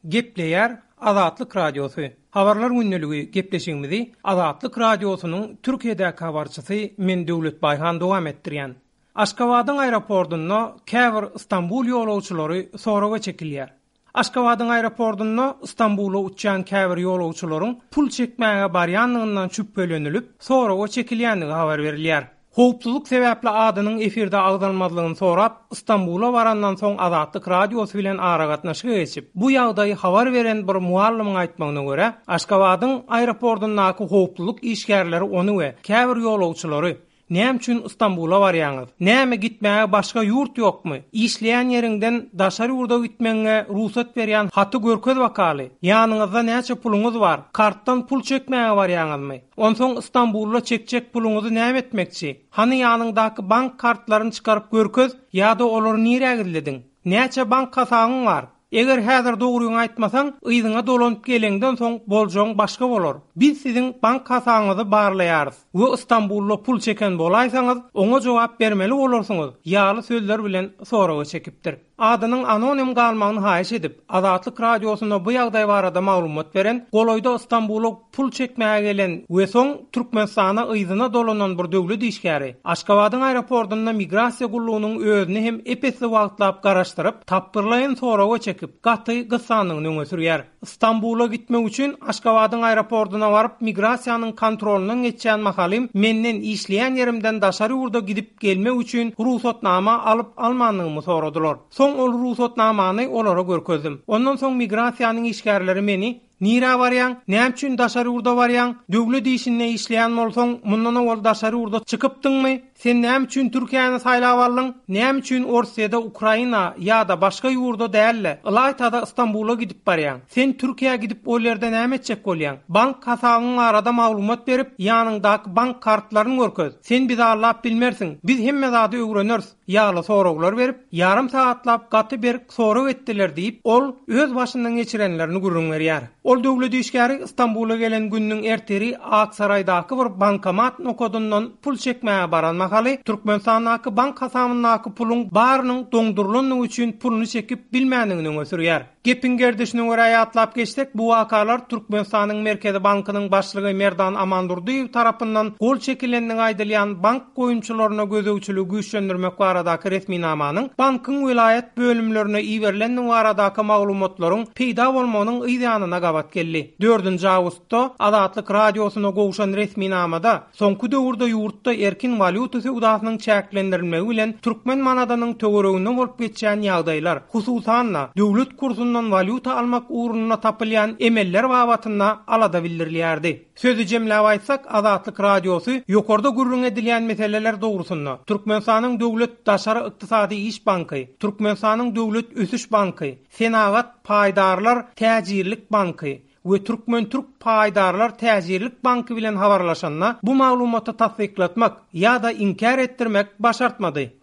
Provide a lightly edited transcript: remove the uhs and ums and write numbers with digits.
Gepleýär Azatlyk Radiosy, Habarlar gündeligi gepleşigimizi Azatlyk Radiosynyň Türkiýedäki habarçysy men Döwlet Baýhan dowam etdirýän. Aşgabadyň aeroportunda käbir Stambul ýolagçylary soraga çekilýär. Aşgabadyň aeroportunda Stambula uçýan käbir ýolagçylaryň pul çekmäge barýandygyndan şübhelenilip, soraga çekilýändigi habar berilýär. Howpsuzlyk sebäpli adynyň efirde agzalmazlygyny sorap, Stambula barandan soň Azatlyk Radiosy bilen aragatnaşyga geçip, bu ýagdaýy habar beren bir mugallymyň aýtmagyna görä, Aşgabadyň aeroportyndaky howpsuzlyk işgärleri ony we käbir ýolagçylary Näme üçin Stambula barýaňyz? Näme gitmäge başga ýurt ýokmy? Işleýän ýeriňden daşary ýurda gitmegiňe rugsat berýän haty görkez bakaly. Ýanyňyzda näçe puluňyz bar? Kartdan pul çekmäge barýaňyzmy? Onsoň Stambulda çekjek puluňyzy näme etmekçi? Hany ýanyňdaky bank kartlaryny çykaryp görkez ýa-da olary nirä gizlediň? Näçe bank hasabyň bar? Eger häzir dogryňy aýtmasaň, yzyňa dolanyp geleňden soň boljagyň başga bolar. Biz siziň bank hasabyňyzy barlaýarys we Stambulda pul çeken bolaýsaňyz, oňa jogap bermeli bolarsyňyz ýaly sözler bilen soraga çekipdir. Adynyň anonim galmagyny haýyş edip, Azatlyk Radiosyna bu ýagdaý barada maglumat beren, golaýda Stambula pul çekmäge gelen we soň Türkmenistana yzyna dolanan bir döwlet işgäri, Aşgabadyň aeroportunda migrasiýa gullugynyň özüni hem ep-esli wagtlap garaşdyryp, tapgyrlaýyn soraga çekip, gaty gyssandygyny öňe sürýär. Stambula gitmek üçin Aşgabadyň aeroportuna baryp migrasiýanyň kontrolyndan geçýän mahalym menden işleýän ýerimden daşary ýurda gidip gelmek üçin rugsatnama alyp-almandygymy soradylar. Soň ol rugsatnamany olara görkezdim. Ondan soň migrasiýanyň işgärleri meni Nirä barýaň? Näme üçin daşary ýurda barýaň? Döwlet işinde işleýän bolsaň, mundan owal daşary ýurda çykypdyňmy? Sen näme üçin Türkiýäni saýlap aldyň? Näme üçin Orsýede, Ukraina ýa-da başga ýurda däl-de, ylaýta-da Stambula gidip barýaň? Sen Türkiýä gidip ol ýerde näme etjek bolýaň? Bank hasabyň barada maglumat berip, ýanyňdaky bank kartlaryny görkez. Sen bizi aldap bilmersiň. Biz hemme zady öwreneris. Ýaly soraglar berip, ýarym sagatlap gaty berk sorag etdiler diýip, ol öz başyndan geçirenlerini gürrüň berýär. Ol döwlet işgäri Stambula gelen gününiň ertiri Aksaraýdaky bir bankomat nokadyndan pul çekmäge baran mahaly, Türkmenistandaky bank hasabyndaky puluň barynyň doňdurylandygy üçin puluny çekip bilmändigini öňe sürýär. Gepiň gerdişine görä ýatlap geçsek, bu wakalar Türkmenistanyň Merkezi bankynyň başlygy Merdan Amandurdyýew tarapyndan gol çekilendigi aýdylýan bank goýumçylaryna gözegçiligi güýçlendirmek baradaky resminamanyň bankyň welaýat bölümlerine iberilendigi baradaky maglumatlaryň peýda bolmagynyň yz ýanyna gabat geldi. Dördünji awgustda Azatlyk Radiosyna gowşan resminamada Soňky döwürde ýurtda erkin walýuta söwdasynyň çäklendirilmegi bilen türkmen manadynyň töwereginde bolup geçýän ýagdaýlar, hususan-da, döwlet kursundan walýuta almak ugrunda tapylýan emeller babatynda alada bildirilýärdi. Sözi jemläp aýtsak, Azatlyk Radiosy ýokarda gürrüň edilýän meseleler dogrusynda Türkmenistanyň Döwlet daşary ykdysady iş banky, Türkmenistanyň Döwlet ösüş banky, Senagat paýdarlar täjirlik banky, we Türkmen-türk paýdarlar täjirlik banky bilen habarlaşanda bu maglumaty tassyklatmak ýa-da inkär etdirmek başartmady.